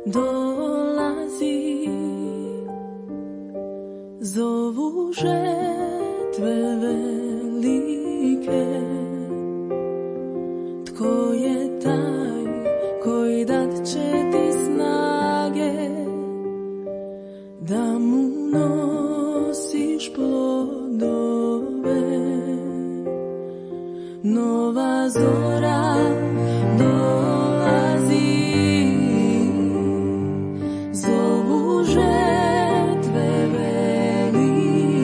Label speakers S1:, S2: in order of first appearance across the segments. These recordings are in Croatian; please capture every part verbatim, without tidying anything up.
S1: dolazi, zovu žetve velike. Tko je taj koji dat će ti snage da mu nosiš plodove? Nova zora dolazi, zovu žetve velike.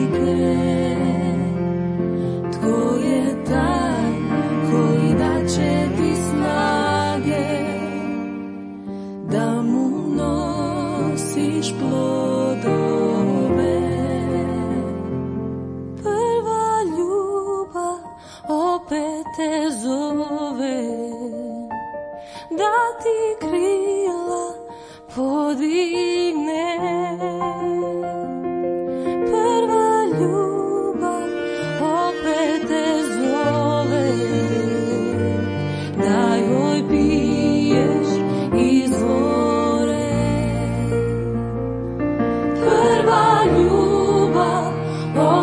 S1: Tko je taj koji dat će ti snage da mu nosiš plodove? Prva ljubav opet te zove, da ti krila podigne. Prva ljubav opet te zove, da joj piješ izvore. Prva ljubav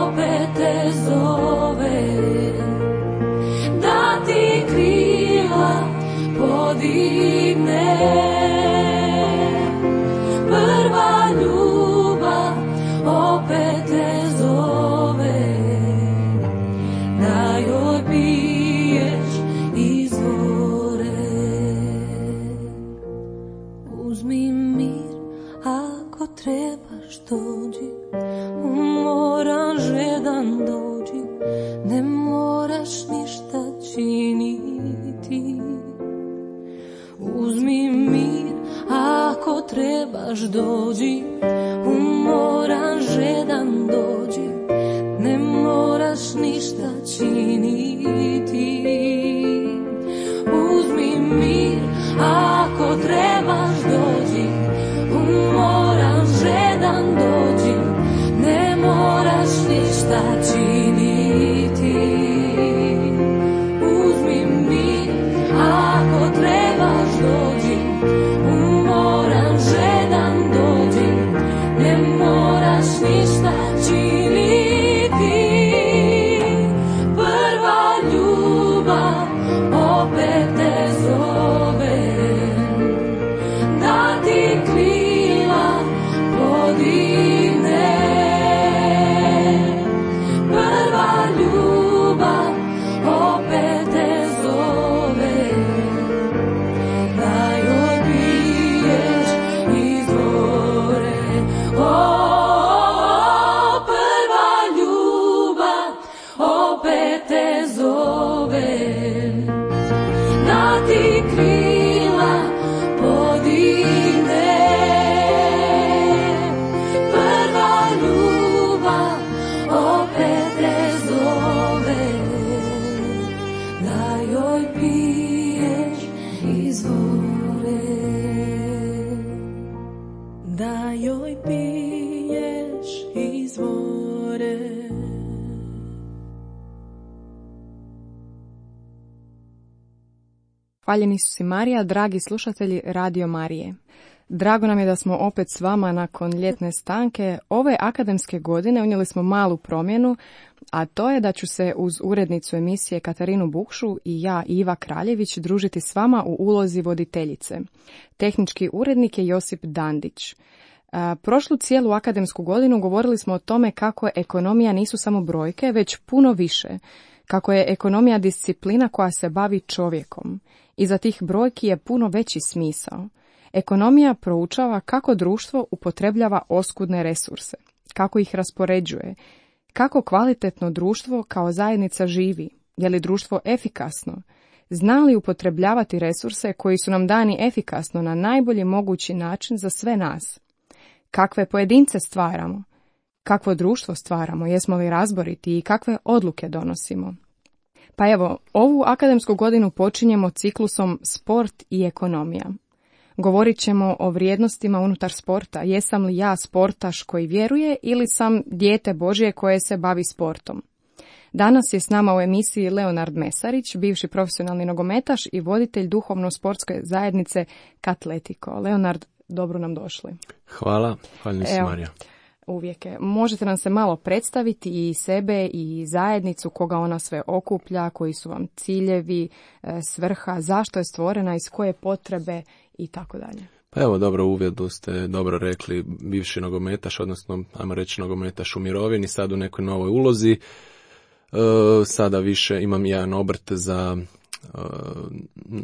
S1: opet te zove, da ti krila podigne. Prva ljubav opet te zove, da joj piješ izvore. Uzmi mir ako trebaš dođi, umoran žedan dođi, ne moraš ništa činiti. Uzmi mir ako trebaš dođi, umoran žedan dođi, ne moraš ništa činiti. Uzmi mir ako trebaš dođi, umoran žedan dođi, ne moraš ništa činiti. Uzmi mir ako trebaš dođi, umoran žedan dođi, ne moraš ništa činiti. Prva ljubav opet te zove, da ti krila podigne. Prva ljubav opet te zove, da joj piješ izvore. O, prva ljubav opet te zove, da ti krila podigne. Prva ljubav opet te zove, da joj piješ izvore. Da joj piješ izvore.
S2: Hvaljeni su si Marija, dragi slušatelji Radio Marije. Drago nam je da smo opet s vama nakon ljetne stanke. Ove akademske godine unijeli smo malu promjenu, a to je da ću se uz urednicu emisije Katarinu Bukšu i ja, Iva Kraljević, družiti s vama u ulozi voditeljice. Tehnički urednik je Josip Dandić. Prošlu cijelu akademsku godinu govorili smo o tome kako ekonomija nisu samo brojke, već puno više. Kako je ekonomija disciplina koja se bavi čovjekom. Iza tih brojki je puno veći smisao. Ekonomija proučava kako društvo upotrebljava oskudne resurse, kako ih raspoređuje, kako kvalitetno društvo kao zajednica živi, je li društvo efikasno, zna li upotrebljavati resurse koji su nam dani efikasno na najbolji mogući način za sve nas. Kakve pojedince stvaramo, kakvo društvo stvaramo, jesmo li razboriti i kakve odluke donosimo. Pa evo, ovu akademsku godinu počinjemo ciklusom sport i ekonomija. Govorit ćemo o vrijednostima unutar sporta. Jesam li ja sportaš koji vjeruje ili sam dijete Božje koje se bavi sportom? Danas je s nama u emisiji Leonard Mesarić, bivši profesionalni nogometaš i voditelj duhovno-sportske zajednice Katletiko. Leonard, dobro nam došli.
S3: Hvala, hvala se, Marija.
S2: Uvijek je. Možete nam se malo predstaviti i sebe i zajednicu, koga ona sve okuplja, koji su vam ciljevi, svrha, zašto je stvorena, iz koje potrebe i tako dalje.
S3: Pa evo, dobro, u uvodu ste dobro rekli, bivši nogometaš, odnosno, ajmo reći, nogometaš u mirovini, sad u nekoj novoj ulozi. E, sada više imam jedan obrt za e,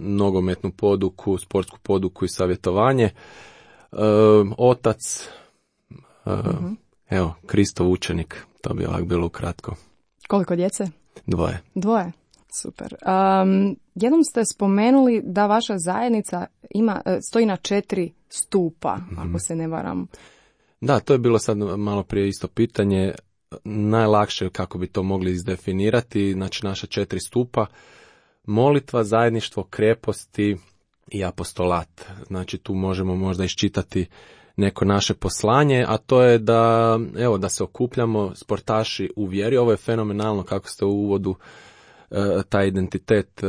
S3: nogometnu poduku, sportsku poduku i savjetovanje. E, otac, e, uh-huh. evo, Kristov učenik, to bi ovak bilo ukratko.
S2: Koliko djece?
S3: Dvoje.
S2: Dvoje. Super. Um, jednom ste spomenuli da vaša zajednica ima, stoji na četiri stupa, mm-hmm. ako se ne varam.
S3: Da, to je bilo sad malo prije isto pitanje. Najlakše kako bi to mogli izdefinirati, znači naša četiri stupa, molitva, zajedništvo, kreposti i apostolat. Znači tu možemo možda iščitati neko naše poslanje, a to je da, evo, da se okupljamo sportaši u vjeri. Ovo je fenomenalno kako ste u uvodu taj identitet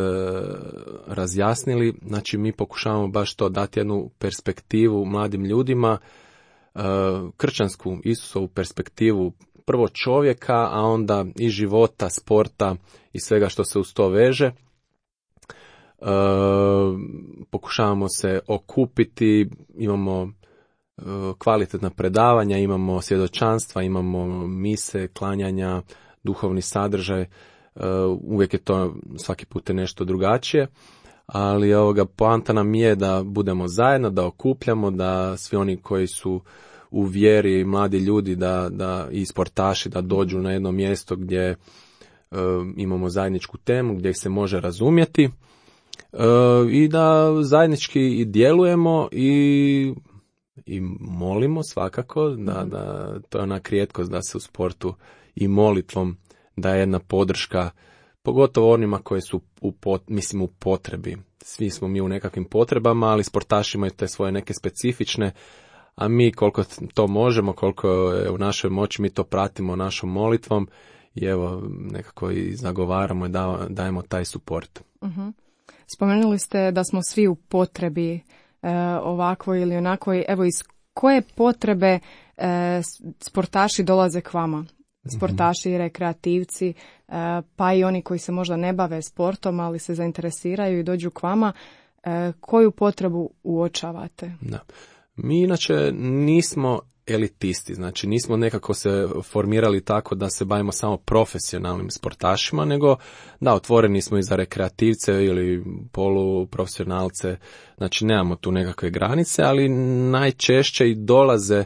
S3: razjasnili. Znači mi pokušavamo baš to dati jednu perspektivu mladim ljudima, kršćansku Isusovu perspektivu prvo čovjeka, a onda i života, sporta i svega što se uz to veže. Pokušavamo se okupiti, imamo kvalitetna predavanja, imamo svjedočanstva, imamo mise, klanjanja, duhovni sadržaj. Uh, uvijek je to svaki put je nešto drugačije, ali ovoga poanta nam je da budemo zajedno, da okupljamo, da svi oni koji su u vjeri, mladi ljudi, da, da i sportaši, da dođu na jedno mjesto gdje uh, imamo zajedničku temu, gdje se može razumjeti uh, i da zajednički i djelujemo i, i molimo svakako, da, da to je onak rijetkost da se u sportu i molitvom da je jedna podrška, pogotovo onima koji su u, pot, mislim, u potrebi. Svi smo mi u nekakvim potrebama, ali sportaši imaju te svoje neke specifične, a mi koliko to možemo, koliko je u našoj moći, mi to pratimo našom molitvom i evo nekako i zagovaramo i dajemo taj suport.
S2: Uh-huh. Spomenuli ste da smo svi u potrebi e, ovakvoj ili onakvoj. Evo, iz koje potrebe e, sportaši dolaze k vama? Sportaši, rekreativci, pa i oni koji se možda ne bave sportom, ali se zainteresiraju i dođu k vama. Koju potrebu uočavate?
S3: Da. Mi inače nismo elitisti, znači nismo nekako se formirali tako da se bavimo samo profesionalnim sportašima, nego da, otvoreni smo i za rekreativce ili poluprofesionalce, znači nemamo tu nekakve granice, ali najčešće i dolaze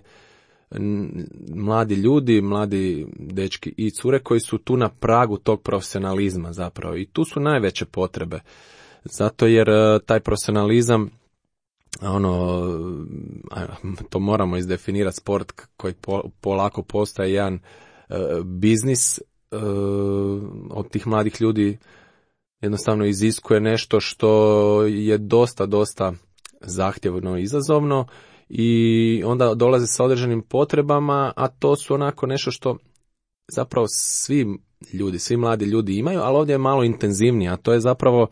S3: mladi ljudi, mladi dečki i cure koji su tu na pragu tog profesionalizma zapravo i tu su najveće potrebe. Zato jer taj profesionalizam, ono, to moramo izdefinirati, sport koji polako postaje jedan uh, biznis uh, od tih mladih ljudi jednostavno iziskuje nešto što je dosta, dosta zahtjevno i izazovno. I onda dolaze sa određenim potrebama, a to su onako nešto što zapravo svi ljudi, svi mladi ljudi imaju, ali ovdje je malo intenzivnije, a to je zapravo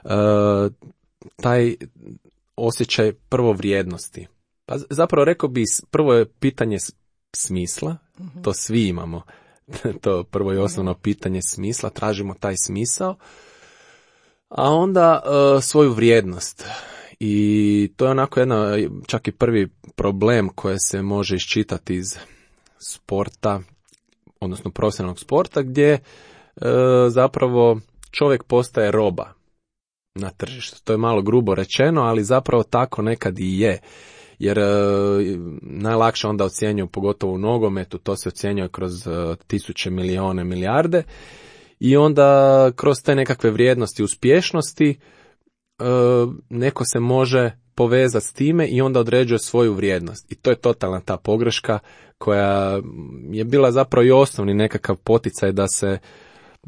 S3: uh, taj osjećaj prvo vrijednosti. Pa zapravo rekao bi, prvo je pitanje smisla, uh-huh. to svi imamo, to prvo i osnovno pitanje smisla, tražimo taj smisao, a onda uh, svoju vrijednost. I to je onako jedna, čak i prvi problem koji se može iščitati iz sporta, odnosno profesionalnog sporta, gdje e, zapravo čovjek postaje roba na tržištu. To je malo grubo rečeno, ali zapravo tako nekad i je. Jer e, najlakše onda ocjenjuju, pogotovo u nogometu, to se ocjenjuje kroz e, tisuće, milijone, milijarde. I onda kroz te nekakve vrijednosti, uspješnosti, neko se može povezati s time i onda određuje svoju vrijednost. I to je totalna ta pogreška koja je bila zapravo i osnovni nekakav poticaj da se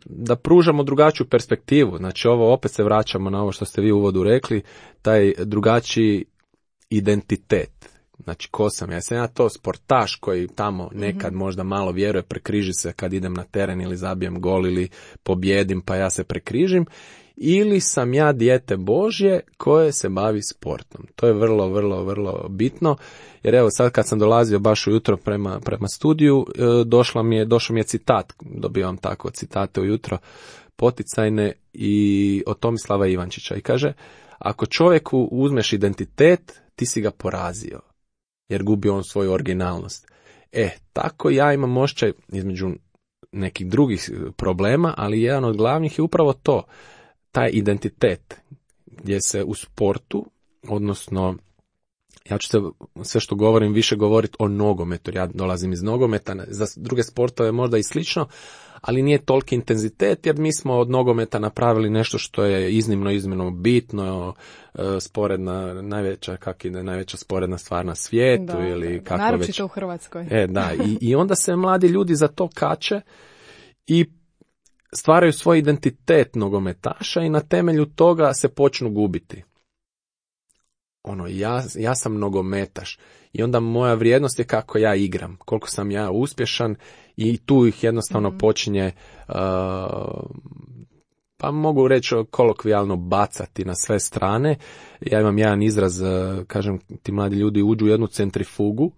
S3: da pružamo drugačiju perspektivu. Znači ovo opet se vraćamo na ovo što ste vi u uvodu rekli, taj drugačiji identitet. Znači ko sam ja? Sam ja to sportaš koji tamo nekad mm-hmm. možda malo vjeruje, prekriži se kad idem na teren ili zabijem gol ili pobjedim pa ja se prekrižim. ili sam ja dijete Božje koje se bavi sportom. To je vrlo, vrlo, vrlo bitno, jer evo sad kad sam dolazio baš ujutro prema, prema studiju, došla mi je, došao mi je citat, dobivam tako citate ujutro, poticajne, i od Tomislava Ivančića, i kaže: ako čovjeku uzmeš identitet, ti si ga porazio, jer gubi on svoju originalnost. E, tako ja imam osjećaj između nekih drugih problema, ali jedan od glavnih je upravo to, taj identitet, gdje se u sportu, odnosno, ja ću se sve što govorim više govoriti o nogometu, jer ja dolazim iz nogometa, za druge sportove možda i slično, ali nije toliki intenzitet, jer mi smo od nogometa napravili nešto što je iznimno, iznimno bitno, sporedna, najveća, kak ide, najveća sporedna stvar na svijetu,
S2: da,
S3: ili kako
S2: naročito
S3: već.
S2: u Hrvatskoj.
S3: E, da, i, i onda se mladi ljudi za to kače i stvaraju svoj identitet nogometaša i na temelju toga se počnu gubiti. Ono, ja, ja sam nogometaš i onda moja vrijednost je kako ja igram, koliko sam ja uspješan, i tu ih jednostavno mm-hmm. počinje, uh, pa mogu reći kolokvijalno, bacati na sve strane. Ja imam jedan izraz, uh, kažem, ti mladi ljudi uđu u jednu centrifugu.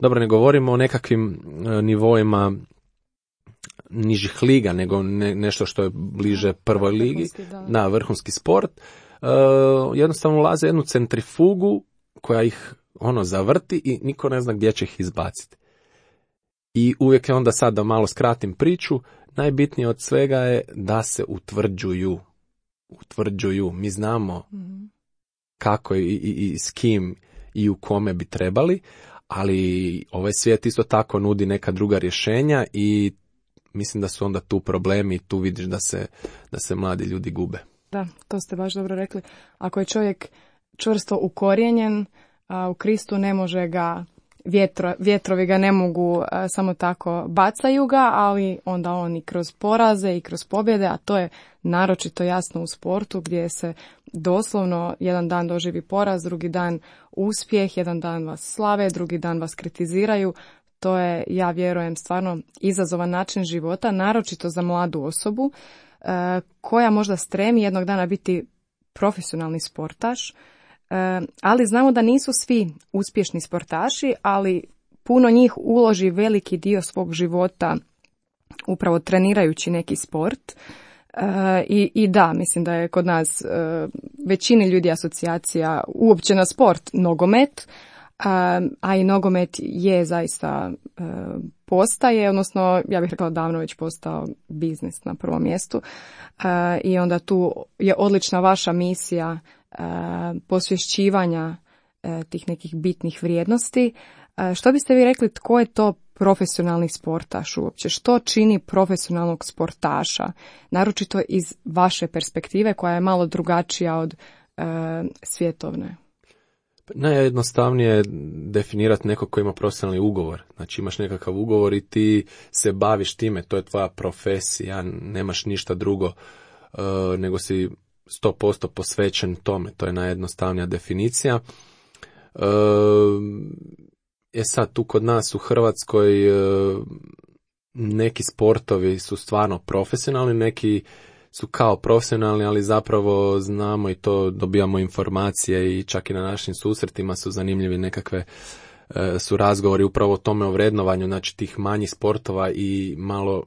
S3: Dobro, ne govorimo o nekakvim uh, nivoima nižih liga, nego ne, nešto što je bliže prvoj ligi, da. Na vrhunski sport. Uh, jednostavno ulaze u jednu centrifugu koja ih ono zavrti i niko ne zna gdje će ih izbaciti. I uvijek je onda, sad da malo skratim priču, najbitnije od svega je da se utvrđuju. Utvrđuju. Mi znamo mm-hmm. kako i, i, i s kim i u kome bi trebali, ali ovaj svijet isto tako nudi neka druga rješenja i mislim da su onda tu problemi i tu vidiš da se, da se mladi ljudi gube.
S2: Da, to ste baš dobro rekli. Ako je čovjek čvrsto ukorijenjen, a u Kristu ne može ga, vjetro, vjetrovi ga ne mogu a, samo tako bacaju ga, ali onda on i kroz poraze i kroz pobjede, a to je naročito jasno u sportu gdje se doslovno jedan dan doživi poraz, drugi dan uspjeh, jedan dan vas slave, drugi dan vas kritiziraju. To je, ja vjerujem, stvarno izazovan način života, naročito za mladu osobu e, koja možda stremi jednog dana biti profesionalni sportaš, e, ali znamo da nisu svi uspješni sportaši, ali puno njih uloži veliki dio svog života upravo trenirajući neki sport. E, i, I da, mislim da je kod nas e, većini ljudi asocijacija uopće na sport nogomet, a, a i nogomet je zaista e, postaje, odnosno ja bih rekla davno već postao biznis na prvom mjestu, e, i onda tu je odlična vaša misija e, posvješćivanja e, tih nekih bitnih vrijednosti. E, što biste vi rekli, tko je to profesionalni sportaš uopće? Što čini profesionalnog sportaša? Naročito iz vaše perspektive koja je malo drugačija od e, svjetovne.
S3: Najjednostavnije je definirati neko ko ima profesionalni ugovor. Znači imaš nekakav ugovor i ti se baviš time, to je tvoja profesija, nemaš ništa drugo uh, nego si sto posto posvećen tome. To je najjednostavnija definicija. Uh, je sad tu kod nas u Hrvatskoj uh, neki sportovi su stvarno profesionalni, neki su kao profesionalni, ali zapravo znamo i to, dobijamo informacije i čak i na našim susretima su zanimljivi nekakve e, su razgovori upravo o tome, o vrednovanju, znači tih manjih sportova i malo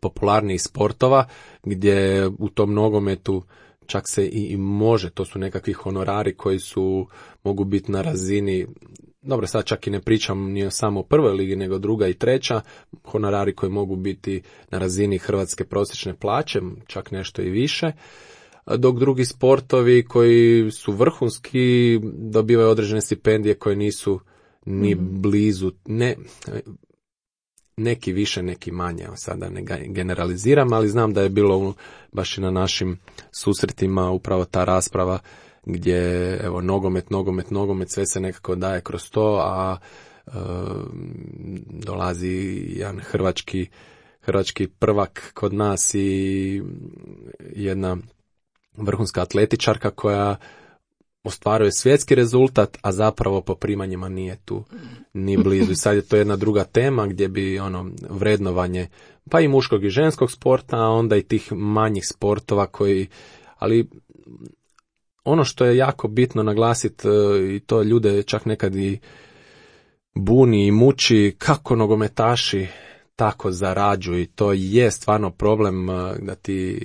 S3: popularnijih sportova, gdje u tom nogometu čak se i, i može, to su nekakvi honorari koji su, mogu biti na razini, dobro, sad čak i ne pričam ni samo o prvoj ligi, nego druga i treća, honorari koji mogu biti na razini hrvatske prosječne plaće, čak nešto i više, dok drugi sportovi koji su vrhunski dobivaju određene stipendije koje nisu ni mm-hmm. blizu, ne, neki više, neki manje, evo sada ne generaliziram, ali znam da je bilo baš i na našim susretima upravo ta rasprava gdje evo nogomet, nogomet, nogomet, sve se nekako daje kroz to, a e, dolazi jedan hrvački, hrvački prvak kod nas i jedna vrhunska atletičarka koja ostvaruje svjetski rezultat, a zapravo po primanjima nije tu ni blizu. I sad je to jedna druga tema gdje bi ono vrednovanje pa i muškog i ženskog sporta, a onda i tih manjih sportova koji, ali ono što je jako bitno naglasiti, i to ljude čak nekad i buni i muči, kako nogometaši tako zarađuju, i to je stvarno problem da ti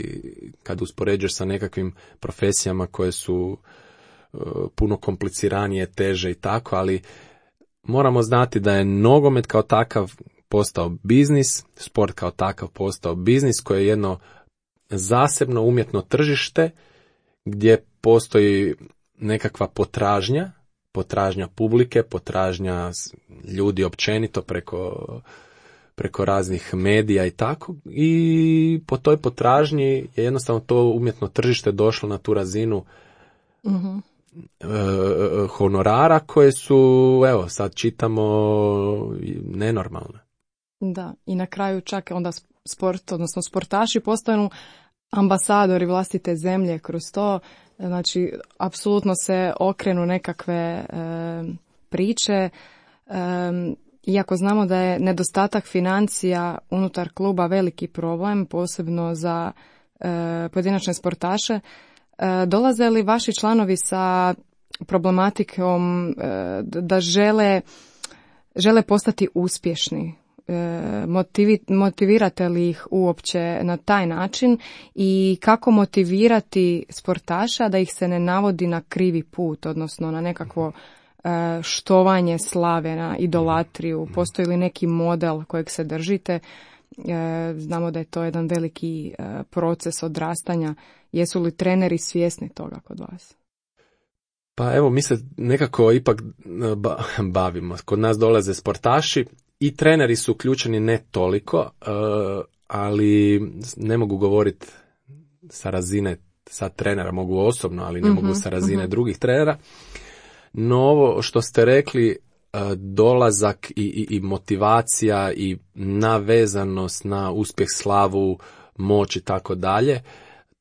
S3: kad uspoređuješ sa nekakvim profesijama koje su puno kompliciranije, teže i tako, ali moramo znati da je nogomet kao takav postao biznis, sport kao takav postao biznis koji je jedno zasebno umjetno tržište gdje postoji nekakva potražnja, potražnja publike, potražnja ljudi općenito preko, preko raznih medija i tako, i po toj potražnji je jednostavno to umjetno tržište došlo na tu razinu mm-hmm. e, honorara koje su, evo sad čitamo, nenormalne.
S2: Da, i na kraju čak onda sport, odnosno sportaši postanu ambasadori vlastite zemlje kroz to. Znači, apsolutno se okrenu nekakve e, priče, e, iako znamo da je nedostatak financija unutar kluba veliki problem, posebno za e, pojedinačne sportaše. E, dolaze li vaši članovi sa problematikom e, da žele, žele postati uspješni? Motivi, motivirate li ih uopće na taj način i kako motivirati sportaša da ih se ne navodi na krivi put, odnosno na nekakvo štovanje slave, na idolatriju? Postoji li neki model kojeg se držite? Znamo da je to jedan veliki proces odrastanja. Jesu li treneri svjesni toga kod vas?
S3: Pa evo, mi se nekako ipak bavimo. Kod nas dolaze sportaši i treneri su uključeni, ne toliko, ali ne mogu govoriti sa razine sad trenera, mogu osobno, ali ne mm-hmm, mogu sa razine mm-hmm. drugih trenera. No ovo što ste rekli, dolazak i, i, i motivacija i navezanost na uspjeh, slavu, moć i tako dalje,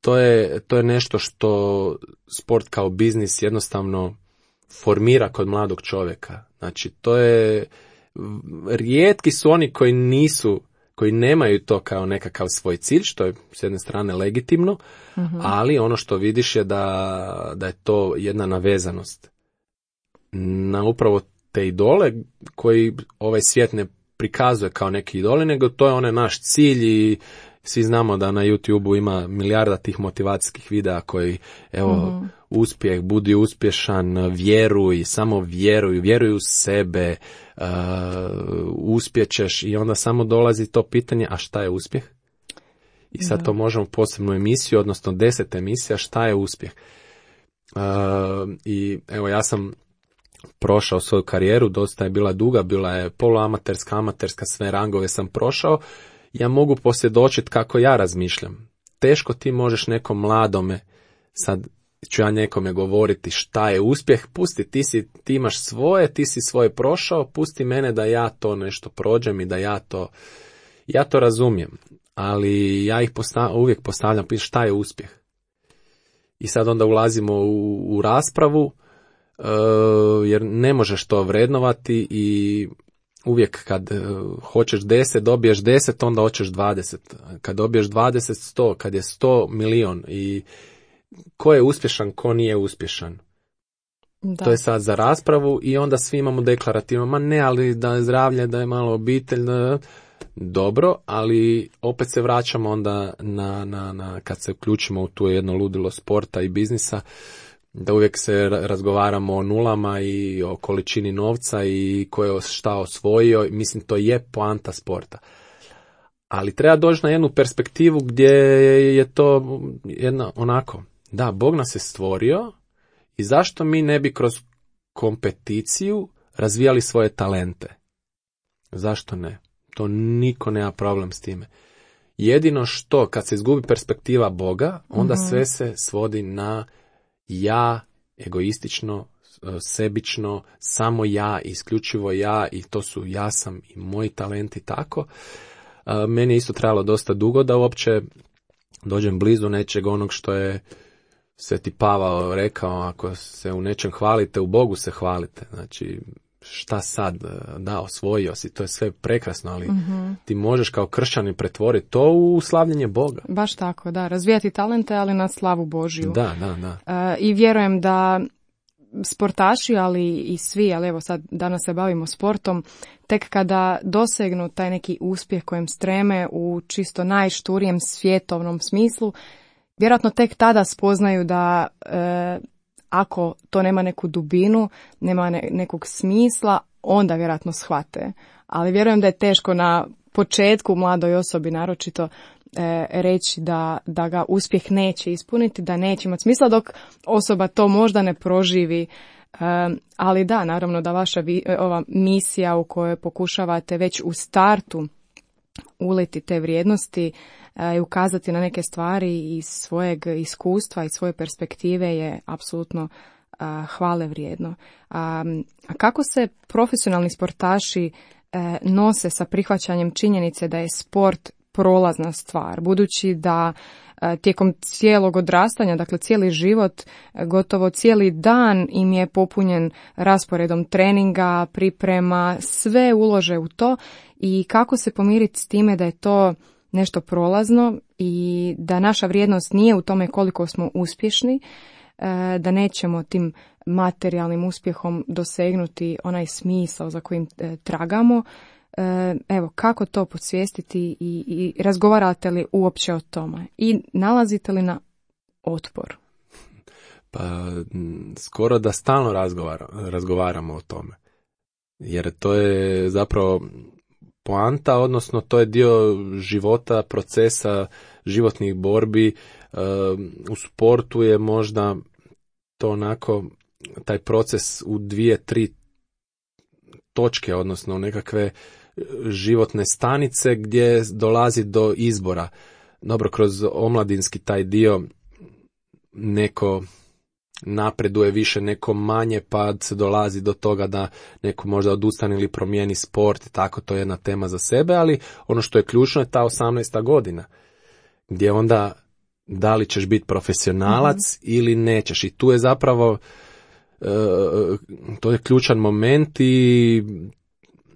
S3: to je, to je nešto što sport kao biznis jednostavno formira kod mladog čovjeka. Znači, to je, rijetki su oni koji nisu, koji nemaju to kao nekakav svoj cilj, što je s jedne strane legitimno, uh-huh. ali ono što vidiš je da, da je to jedna navezanost na upravo te idole koji ovaj svijet ne prikazuje kao neki idoli, nego to je onaj naš cilj. I svi znamo da na YouTubeu ima milijarda tih motivacijskih videa koji, evo, uh-huh. uspjeh, budi uspješan, vjeruj, samo vjeruj, vjeruj u sebe, uh, uspjećeš, i onda samo dolazi to pitanje, a šta je uspjeh? I sad da. To možemo posebnu emisiju, odnosno deset emisija, šta je uspjeh? Uh, I evo, ja sam prošao svoju karijeru, dosta je bila duga, bila je poluamaterska, amaterska, sve rangove sam prošao. Ja mogu posvjedočiti kako ja razmišljam. Teško ti možeš nekom mladome, sad ću ja nekome govoriti šta je uspjeh, pusti, ti, si, ti imaš svoje, ti si svoje prošao, pusti mene da ja to nešto prođem i da ja to, ja to razumijem. Ali ja ih postav, uvijek postavljam, piš šta je uspjeh. I sad onda ulazimo u, u raspravu, uh, jer ne možeš to vrednovati i uvijek kad uh, hoćeš deset, dobiješ deset, onda hoćeš dvadeset. Kad dobiješ dvadeset, sto, kad je sto, milion. I ko je uspješan, ko nije uspješan. Da. To je sad za raspravu i onda svi imamo deklarativno, ma ne, ali da je zdravlje, da je malo obitelj, da... dobro, ali opet se vraćamo onda na, na, na kad se uključimo u tu jedno ludilo sporta i biznisa, da uvijek se razgovaramo o nulama i o količini novca i ko je šta osvojio. Mislim, to je poanta sporta. Ali treba doći na jednu perspektivu gdje je to jedna onako, da, Bog nas je stvorio i zašto mi ne bi kroz kompeticiju razvijali svoje talente? Zašto ne? To niko nema problem s time. Jedino što, kad se izgubi perspektiva Boga, onda mm-hmm. sve se svodi na ja, egoistično, sebično, samo ja, isključivo ja, i to su ja sam i moji talenti, tako. Meni je isto trebalo dosta dugo da uopće dođem blizu nečeg onog što je Sveti Pavao rekao, ako se u nečem hvalite, u Bogu se hvalite. Znači, šta sad, da, osvojio si, to je sve prekrasno, ali
S2: mm-hmm.
S3: ti možeš kao kršćanin pretvoriti to u slavljenje Boga.
S2: Baš tako, da, razvijati talente, ali na slavu Božju.
S3: Da, da, da.
S2: Uh, I vjerujem da sportaši, ali i svi, ali evo sad danas se bavimo sportom, tek kada dosegnu taj neki uspjeh kojem streme u čisto najšturijem svjetovnom smislu, vjerojatno tek tada spoznaju da e, ako to nema neku dubinu, nema ne, nekog smisla, onda vjerojatno shvate. Ali vjerujem da je teško na početku mladoj osobi naročito e, reći da, da ga uspjeh neće ispuniti, da neće imati smisla, dok osoba to možda ne proživi. E, ali da, naravno da vaša vi, ova misija u kojoj pokušavate već u startu uliti te vrijednosti i ukazati na neke stvari iz svojeg iskustva i svoje perspektive je apsolutno hvale vrijedno. A kako se profesionalni sportaši nose sa prihvaćanjem činjenice da je sport prolazna stvar, budući da tijekom cijelog odrastanja, dakle cijeli život, gotovo cijeli dan im je popunjen rasporedom treninga, priprema, sve ulože u to, i kako se pomiriti s time da je to nešto prolazno i da naša vrijednost nije u tome koliko smo uspješni, da nećemo tim materijalnim uspjehom dosegnuti onaj smisao za kojim tragamo. Evo, kako to podsvijestiti i, i razgovarate li uopće o tome? I nalazite li na otpor?
S3: Pa, skoro da stalno razgovara, razgovaramo o tome. Jer to je zapravo poanta, odnosno to je dio života, procesa, životnih borbi. U sportu je možda to onako, taj proces u dvije, tri točke, odnosno nekakve životne stanice gdje dolazi do izbora. Dobro, kroz omladinski taj dio neko napreduje više, neko manje, pa se dolazi do toga da neko možda odustane ili promijeni sport, tako, to je jedna tema za sebe, ali ono što je ključno je ta osamnaesta godina, gdje onda da li ćeš biti profesionalac mm-hmm. ili nećeš. I tu je zapravo e, to je ključan moment i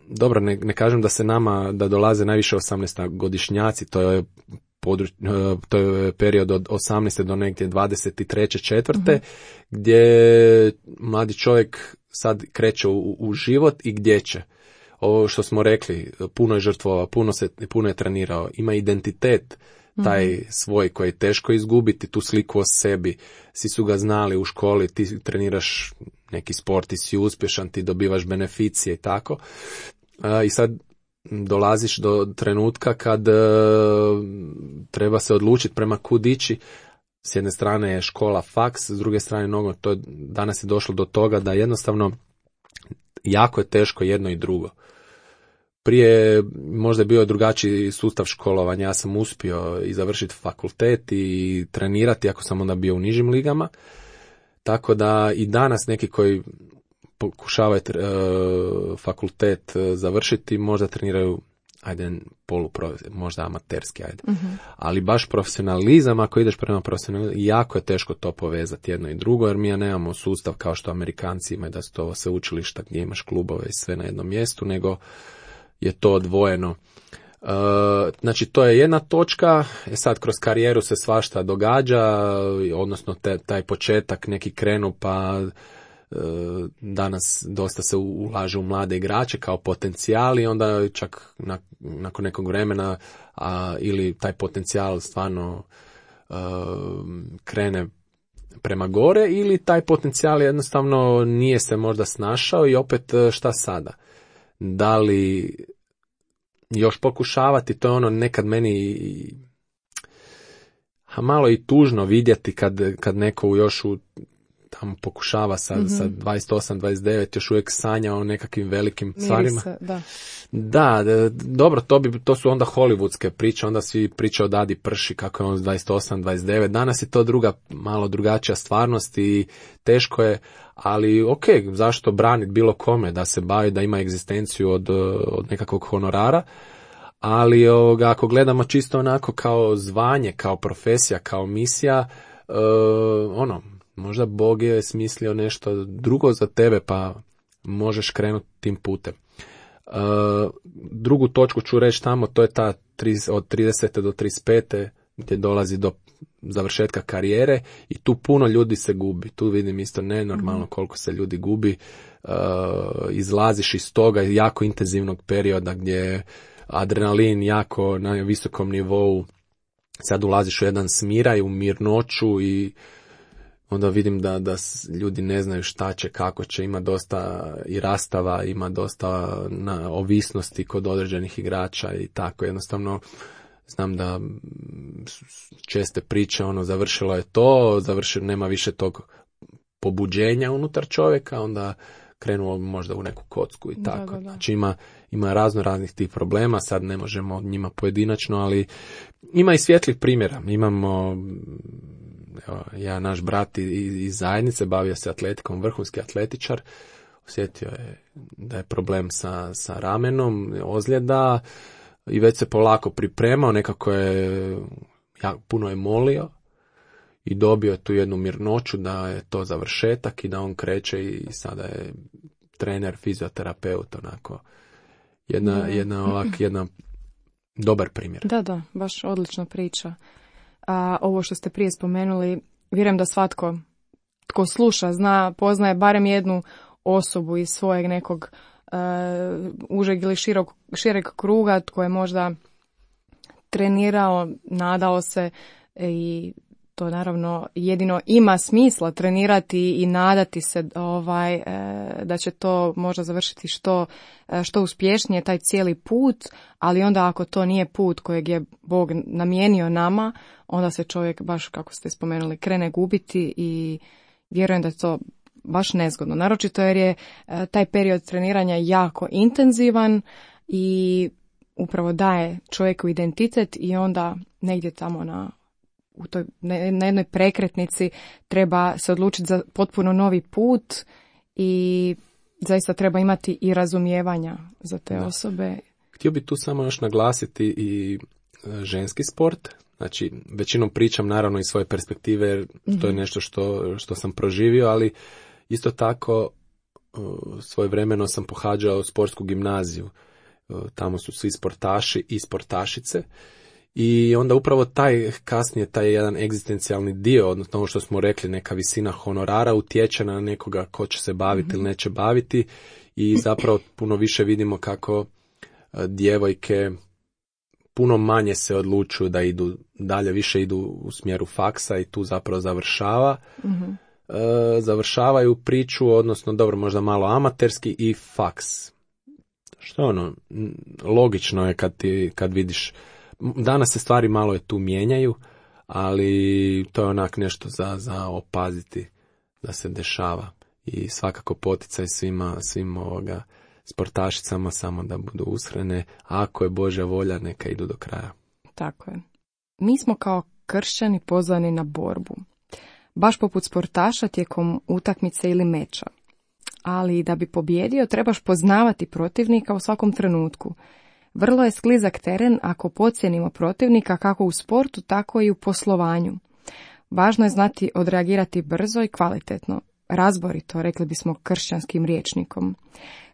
S3: dobro, ne, ne kažem da se nama, da dolaze najviše osamnaestogodišnjaci, to je područ, to je period od osamnaeste do negdje dvadeset treće četvrte Mm-hmm. gdje mladi čovjek sad kreće u, u život i gdje će. Ovo što smo rekli, puno je žrtvovao, puno, se, puno je trenirao, ima identitet taj mm-hmm. svoj koji je teško izgubiti, tu sliku o sebi. Svi su ga znali u školi, ti treniraš neki sport, ti si uspješan, ti dobivaš beneficije i tako. A, i sad dolaziš do trenutka kad uh, treba se odlučiti prema kud ići. S jedne strane je škola, faks, s druge strane nogo. To je, danas je došlo do toga da jednostavno jako je teško jedno i drugo. Prije možda je bio drugačiji sustav školovanja. Ja sam uspio i završiti fakultet i trenirati, ako sam onda bio u nižim ligama. Tako da i danas neki koji pokušavaju uh, fakultet uh, završiti, možda treniraju, ajde, poluprov, možda amaterski, ajde. Uh-huh. Ali baš profesionalizam, ako ideš prema profesionalizmu, jako je teško to povezati jedno i drugo, jer mi ja nemamo sustav kao što Amerikanci imaju, da su to sve učilišta gdje imaš klubove i sve na jednom mjestu, nego je to odvojeno. Uh, znači, to je jedna točka, e sad kroz karijeru se svašta događa, odnosno te, taj početak neki krenu, pa danas dosta se ulaže u mlade igrače kao potencijal i onda čak nakon nekog vremena a, ili taj potencijal stvarno a, krene prema gore ili taj potencijal jednostavno nije se možda snašao i opet šta sada? Da li još pokušavati, to je ono nekad meni a malo i tužno vidjeti kad, kad neko još u tamo pokušava sa, mm-hmm. sa dvadeset osam dvadeset devet još uvijek sanja o nekakvim velikim stvarima.
S2: Se, da.
S3: Da, dobro, to, bi, to su onda hollywoodske priče, onda svi pričaju o Dadi Prši, kako je on s dvadeset osam dvadeset devet. Danas je to druga, malo drugačija stvarnost i teško je, ali ok, zašto braniti bilo kome da se bavi, da ima egzistenciju od, od nekakvog honorara, ali ovoga, ako gledamo čisto onako kao zvanje, kao profesija, kao misija, uh, ono, možda Bog je smislio nešto drugo za tebe, pa možeš krenuti tim putem. Uh, drugu točku ću reći tamo, to je ta od tridesete do trideset pete gdje dolazi do završetka karijere i tu puno ljudi se gubi. Tu vidim isto nenormalno koliko se ljudi gubi. Uh, izlaziš iz toga jako intenzivnog perioda gdje je adrenalin jako na visokom nivou. Sad ulaziš u jedan smiraj, u mirnoću i onda vidim da, da ljudi ne znaju šta će, kako će, ima dosta i rastava, ima dosta na ovisnosti kod određenih igrača i tako. Jednostavno znam da česte priče, ono, završilo je to, završilo, nema više tog pobuđenja unutar čovjeka, onda krenuo možda u neku kocku i tako. Da, da, da. Znači ima, ima razno raznih tih problema, sad ne možemo njima pojedinačno, ali ima i svjetlih primjera. Imamo, evo, ja, naš brat iz, iz zajednice, bavio se atletikom, vrhunski atletičar, osjetio je da je problem sa, sa ramenom, ozljeda i već se polako pripremao, nekako je, ja, puno je molio i dobio tu jednu mirnoću da je to završetak i da on kreće i sada je trener, fizioterapeut, onako jedna, da. jedna ovak, jedna dobar primjer.
S2: Da, da, baš odlična priča. A ovo što ste prije spomenuli, vjerujem da svatko tko sluša, zna, poznaje barem jednu osobu iz svojeg nekog uh, užeg ili širok, šireg kruga tko je možda trenirao, nadao se i to naravno jedino ima smisla trenirati i nadati se ovaj, e, da će to možda završiti što, što uspješnije taj cijeli put, ali onda ako to nije put kojeg je Bog namijenio nama, onda se čovjek, baš kako ste spomenuli, krene gubiti i vjerujem da je to baš nezgodno. Naročito jer je e, taj period treniranja jako intenzivan i upravo daje čovjeku identitet i onda negdje tamo na u toj, na jednoj prekretnici treba se odlučiti za potpuno novi put i zaista treba imati i razumijevanja za te da. osobe.
S3: Htio bih tu samo još naglasiti i ženski sport. Znači, većinom pričam naravno iz svoje perspektive, jer mm-hmm. to je nešto što, što sam proživio, ali isto tako svojevremeno sam pohađao sportsku gimnaziju. Tamo su svi sportaši i sportašice. I onda upravo taj kasnije, taj jedan egzistencijalni dio, odnosno ovo što smo rekli, neka visina honorara utječe na nekoga ko će se baviti mm-hmm. ili neće baviti i zapravo puno više vidimo kako djevojke puno manje se odlučuju da idu dalje, više idu u smjeru faksa i tu zapravo završava. Mm-hmm. E, završavaju priču, odnosno dobro, možda malo amaterski i faks. Što ono, logično je kad, ti, kad vidiš. Danas se stvari malo je tu mijenjaju, ali to je onak nešto za, za opaziti da se dešava. I svakako poticaj svima, svim ovoga sportašicama samo da budu ushrene. Ako je Božja volja, neka idu do kraja.
S2: Tako je. Mi smo kao kršćani pozvani na borbu. Baš poput sportaša tijekom utakmice ili meča. Ali da bi pobjedio, trebaš poznavati protivnika u svakom trenutku. Vrlo je sklizak teren ako podcijenimo protivnika kako u sportu, tako i u poslovanju. Važno je znati odreagirati brzo i kvalitetno. Razborito, rekli bismo kršćanskim rječnikom.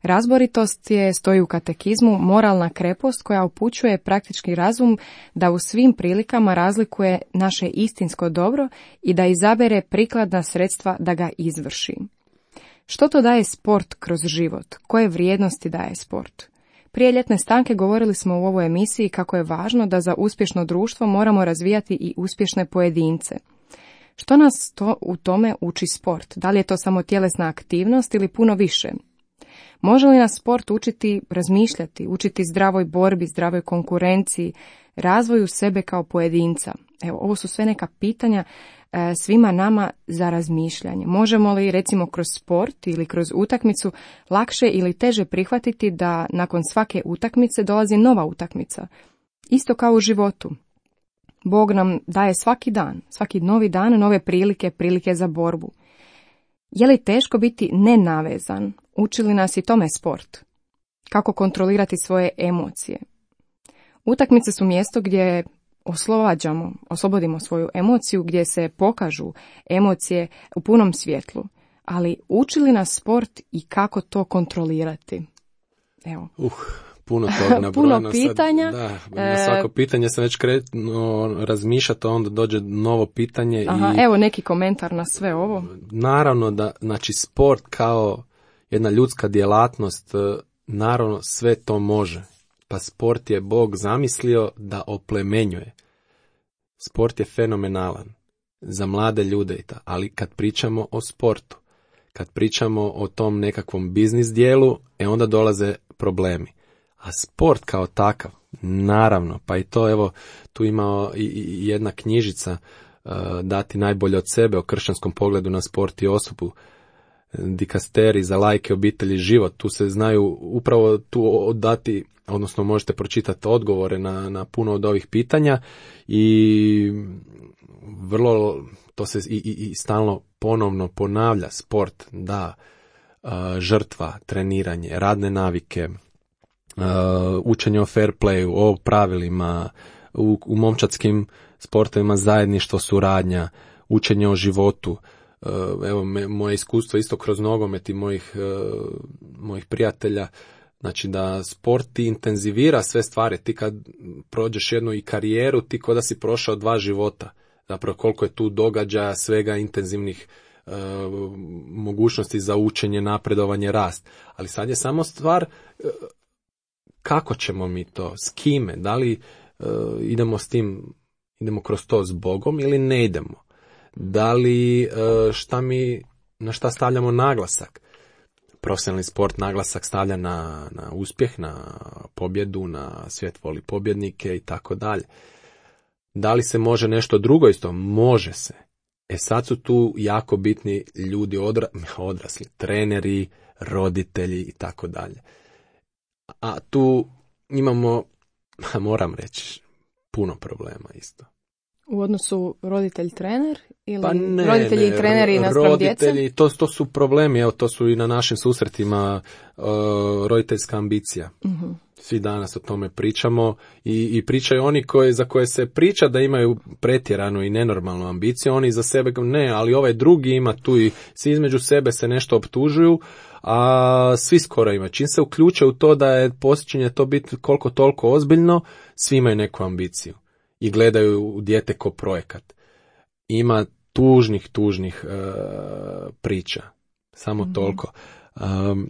S2: Razboritost je, stoji u katekizmu, moralna krepost koja upućuje praktički razum da u svim prilikama razlikuje naše istinsko dobro i da izabere prikladna sredstva da ga izvrši. Što to daje sport kroz život? Koje vrijednosti daje sport? Prije ljetne stanke govorili smo u ovoj emisiji kako je važno da za uspješno društvo moramo razvijati i uspješne pojedince. Što nas to u tome uči sport? Da li je to samo tjelesna aktivnost ili puno više? Može li nas sport učiti razmišljati, učiti zdravoj borbi, zdravoj konkurenciji, razvoju sebe kao pojedinca? Evo, ovo su sve neka pitanja e, svima nama za razmišljanje. Možemo li, recimo, kroz sport ili kroz utakmicu lakše ili teže prihvatiti da nakon svake utakmice dolazi nova utakmica? Isto kao u životu. Bog nam daje svaki dan, svaki novi dan, nove prilike, prilike za borbu. Je li teško biti nenavezan? Uči li nas i tome sport? Kako kontrolirati svoje emocije? Utakmice su mjesto gdje oslobađamo, oslobodimo svoju emociju, gdje se pokažu emocije u punom svjetlu. ali uči li nas sport i kako to kontrolirati? Evo.
S3: Uh, puno toga nabrojano.
S2: Puno pitanja.
S3: Sad, da, na svako pitanje sam već kretno razmišljati, onda dođe novo pitanje.
S2: Aha,
S3: i
S2: evo neki komentar na sve ovo.
S3: Naravno da, znači sport kao jedna ljudska djelatnost, naravno sve to može. Pa sport je Bog zamislio da oplemenjuje. Sport je fenomenalan za mlade ljude, ali kad pričamo o sportu, kad pričamo o tom nekakvom biznis dijelu, e onda dolaze problemi. A sport kao takav, naravno, pa i to, evo, tu ima i, i jedna knjižica, uh, Dati najbolje od sebe, o kršćanskom pogledu na sport i osobu, Dikasteri za lajke, obitelji, život. Tu se znaju upravo tu dati, odnosno možete pročitati odgovore na, na puno od ovih pitanja i vrlo, to se i, i, i stalno ponovno ponavlja. Sport, da, uh, žrtva, treniranje, radne navike, uh, učenje o fair playu, o pravilima, u, u momčadskim sportovima zajedništvo, suradnja, učenje o životu. Evo, me, moje iskustvo isto kroz nogomet i mojih, uh, mojih prijatelja, znači da sport ti intenzivira sve stvari. Ti kad prođeš jednu i karijeru, ti ko da si prošao dva života. Zapravo koliko je tu događaja, svega intenzivnih uh, mogućnosti za učenje, napredovanje, rast. Ali sad je samo stvar uh, kako ćemo mi to, s kime, da li uh, idemo s tim, idemo kroz to s Bogom ili ne idemo. Da li šta mi, na šta stavljamo naglasak? Profesionalni sport naglasak stavlja na, na uspjeh, na pobjedu, na svijet voli pobjednike i tako dalje. Da li se može nešto drugo isto? Može se. E sad su tu jako bitni ljudi odra, odrasli, treneri, roditelji i tako dalje. A tu imamo, moram reći, puno problema isto.
S2: U odnosu roditelj-trener ili
S3: pa ne,
S2: roditelji
S3: ne,
S2: i treneri naspram djece?
S3: Roditelji, to, to su problemi, evo to su i na našim susretima uh, roditeljska ambicija. Uh-huh. Svi danas o tome pričamo i, i pričaju oni koji, za koje se priča da imaju pretjeranu i nenormalnu ambiciju, oni za sebe ne, ali ovaj drugi ima tu i svi između sebe se nešto optužuju, a svi skoro imaju. Čim se uključe u to da je počinje to biti koliko toliko ozbiljno, svi imaju neku ambiciju i gledaju u dijete ko projekat. Ima tužnih, tužnih uh, priča. Samo mm-hmm. toliko. Um,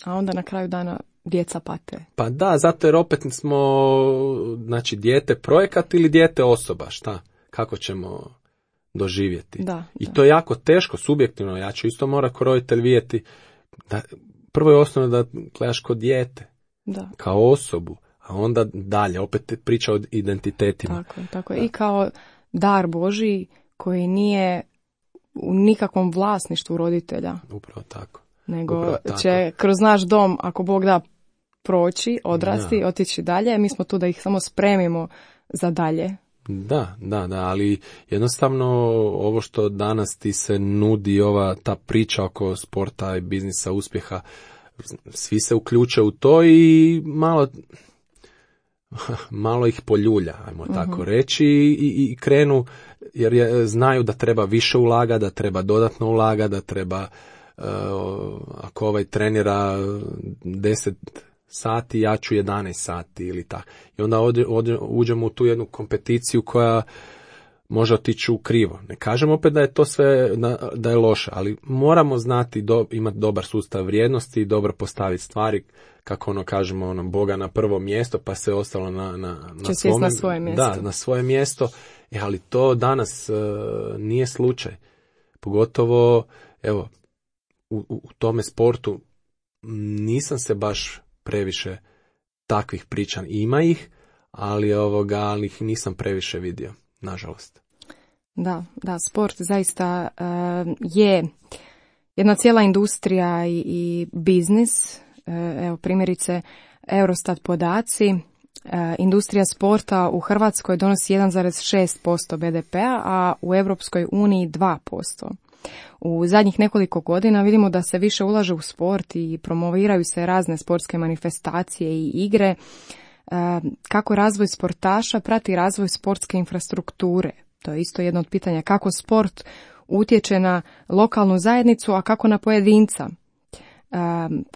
S2: A onda na kraju dana djeca pate.
S3: Pa da, zato jer opet smo, znači, dijete projekat ili dijete osoba, šta? Kako ćemo doživjeti?
S2: Da,
S3: I
S2: da.
S3: to je jako teško, subjektivno. Ja ću isto mora ko roditelj vidjeti. Da, prvo je osnovno da gledaš kod dijete,
S2: da.
S3: Kao osobu. A onda dalje, opet priča o identitetima.
S2: Tako, tako je. I kao dar Božji koji nije u nikakvom vlasništvu roditelja.
S3: Upravo tako.
S2: Nego
S3: Upravo tako.
S2: će kroz naš dom, ako Bog da, proći, odrasti, da. Otići dalje. Mi smo tu da ih samo spremimo za dalje.
S3: Da, da, da, ali jednostavno ovo što danas ti se nudi, ova ta priča oko sporta i biznisa, uspjeha, svi se uključe u to i malo... malo ih poljulja, ajmo uh-huh. tako reći, i, i krenu, jer je, znaju da treba više ulaga, da treba dodatno ulaga, da treba, uh, ako ovaj trenira deset sati, ja ću jedanaest sati ili tako. I onda ode, ode, uđemo u tu jednu kompeticiju koja može otići u krivo. Ne kažem opet da je to sve, da je loše, ali moramo znati, do, imati dobar sustav vrijednosti i dobro postaviti stvari, kako ono kažemo, ono, Boga na prvo mjesto, pa se ostalo na, na, na, svom,
S2: na svoje mjesto.
S3: Da, na svoje mjesto, e, ali to danas uh, nije slučaj. Pogotovo, evo, u, u tome sportu nisam se baš previše takvih priča. Ima ih, ali, ovoga, ali ih nisam previše vidio, nažalost.
S2: Da, da, sport zaista uh, je jedna cijela industrija i, i biznis. Evo primjerice Eurostat podaci, industrija sporta u Hrvatskoj donosi jedan zarez šest posto be de pea, a u Europskoj uniji dva posto. U zadnjih nekoliko godina vidimo da se više ulaže u sport i promoviraju se razne sportske manifestacije i igre. Kako razvoj sportaša prati razvoj sportske infrastrukture? To je isto jedno od pitanja. Kako sport utječe na lokalnu zajednicu, a kako na pojedinca.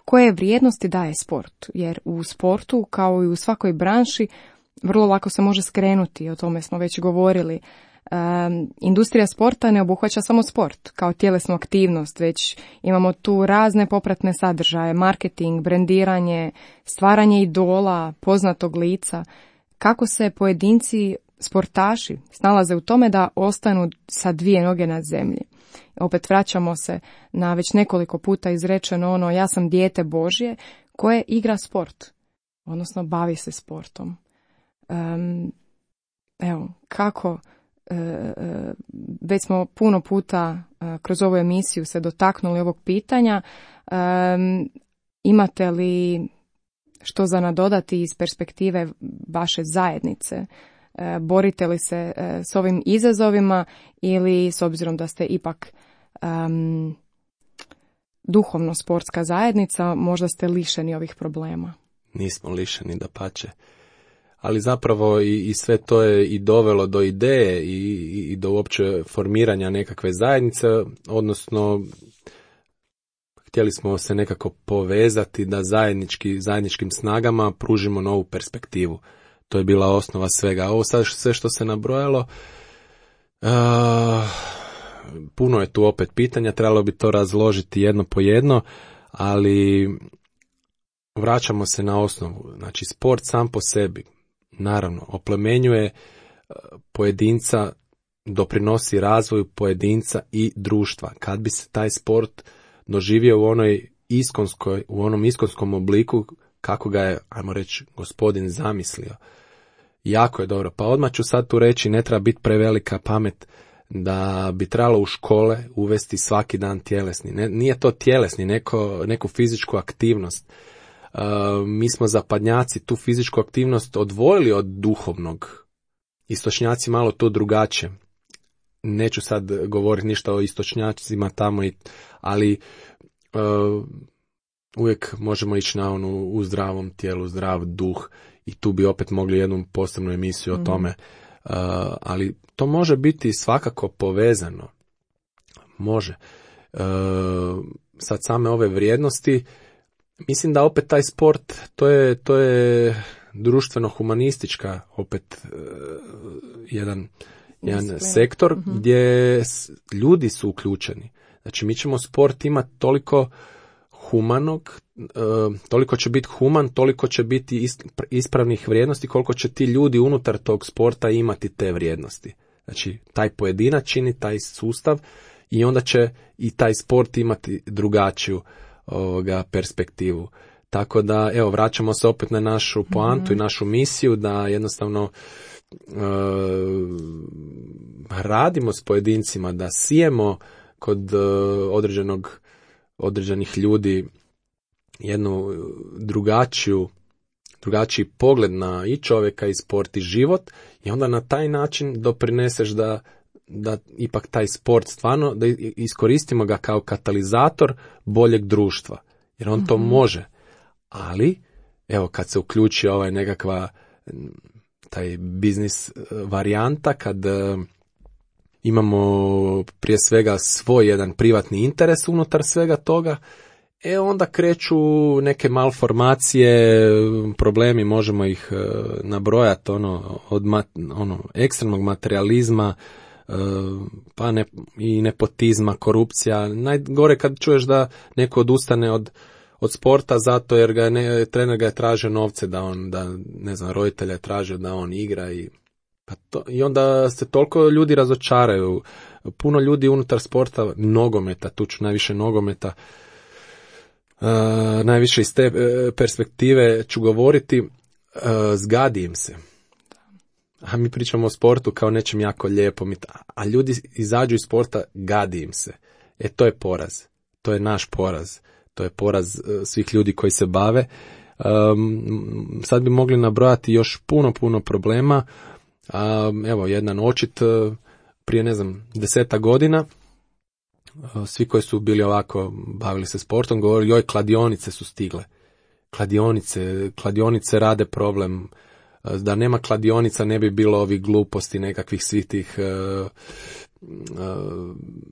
S2: Koje vrijednosti daje sport? Jer u sportu, kao i u svakoj branši, vrlo lako se može skrenuti, o tome smo već govorili. Um, industrija sporta ne obuhvaća samo sport kao tjelesnu aktivnost, već imamo tu razne popratne sadržaje, marketing, brendiranje, stvaranje idola, poznatog lica. Kako se pojedinci, sportaši, snalaze u tome da ostanu sa dvije noge na zemlji? Opet vraćamo se na već nekoliko puta izrečeno ono, ja sam dijete Božje koje igra sport, odnosno bavi se sportom. Um, evo, kako već smo puno puta kroz ovu emisiju se dotaknuli ovog pitanja. Imate li što za nadodati iz perspektive vaše zajednice? Borite li se s ovim izazovima ili s obzirom da ste ipak um, duhovno sportska zajednica, možda ste lišeni ovih problema?
S3: Nismo lišeni, dapače. Ali zapravo i, i sve to je i dovelo do ideje i, i do uopće formiranja nekakve zajednice, odnosno htjeli smo se nekako povezati da zajednički, zajedničkim snagama pružimo novu perspektivu. To je bila osnova svega. Ovo sad sve što se nabrojalo, uh, puno je tu opet pitanja, trebalo bi to razložiti jedno po jedno, ali vraćamo se na osnovu. Znači, sport sam po sebi, naravno, oplemenjuje pojedinca, doprinosi razvoju pojedinca i društva. Kad bi se taj sport doživio u onoj iskonskoj, u onom iskonskom obliku kako ga je, ajmo reći, gospodin zamislio, jako je dobro. Pa odmah ću sad tu reći, ne treba biti prevelika pamet da bi trebalo u škole uvesti svaki dan tjelesni. Ne, nije to tjelesni, neko, neku fizičku aktivnost. Uh, mi smo zapadnjaci tu fizičku aktivnost odvojili od duhovnog. Istočnjaci malo to drugačije. Neću sad govoriti ništa o istočnjacima tamo, i, ali uh, uvijek možemo ići na onu u zdravom tijelu, zdrav duh, i tu bi opet mogli jednu posebnu emisiju mm. o tome. Uh, ali to može biti svakako povezano. Može. Uh, sad same ove vrijednosti, mislim da opet taj sport, to je, to je društveno-humanistička opet uh, jedan, jedan sektor uh-huh. gdje ljudi su uključeni. Znači mi ćemo sport imati toliko humanog, uh, toliko će biti human, toliko će biti ispravnih vrijednosti, koliko će ti ljudi unutar tog sporta imati te vrijednosti. Znači taj pojedinac čini taj sustav i onda će i taj sport imati drugačiju ovoga perspektivu. Tako da, evo, vraćamo se opet na našu poantu mm-hmm. i našu misiju da jednostavno uh, radimo s pojedincima, da sijemo kod uh, određenog, određenih ljudi jednu drugačiju, drugačiji pogled na i čovjeka i sport i život, i onda na taj način doprineseš da da ipak taj sport stvarno, da iskoristimo ga kao katalizator boljeg društva. Jer on mm-hmm. to može. Ali, evo, kad se uključi ovaj nekakva taj biznis varijanta, kad uh, imamo prije svega svoj jedan privatni interes unutar svega toga, e onda kreću neke malformacije, problemi, možemo ih uh, nabrojati, ono, od mat, ono, ekstremnog materializma, pa ne, i nepotizma, korupcija. Najgore kad čuješ da neko odustane od, od sporta zato jer ga ne, trener ga je tražio novce da on, da ne znam, roditelja je tražio da on igra, i, pa to, i onda se toliko ljudi razočaraju. Puno ljudi unutar sporta, nogometa, tu ću najviše nogometa, uh, najviše iz te uh, perspektive ću govoriti, uh, zgadi im se. A mi pričamo o sportu kao nečem jako lijepo, a ljudi izađu iz sporta, gadi im se. E, to je poraz. To je naš poraz. To je poraz svih ljudi koji se bave. Um, sad bi mogli nabrojati još puno, puno problema. Um, evo, jedan očit prije, ne znam, deseta godina. Svi koji su bili ovako, bavili se sportom, govorili, joj, kladionice su stigle. Kladionice, kladionice rade problem. Da nema kladionica ne bi bilo ovih gluposti, nekakvih svih tih uh,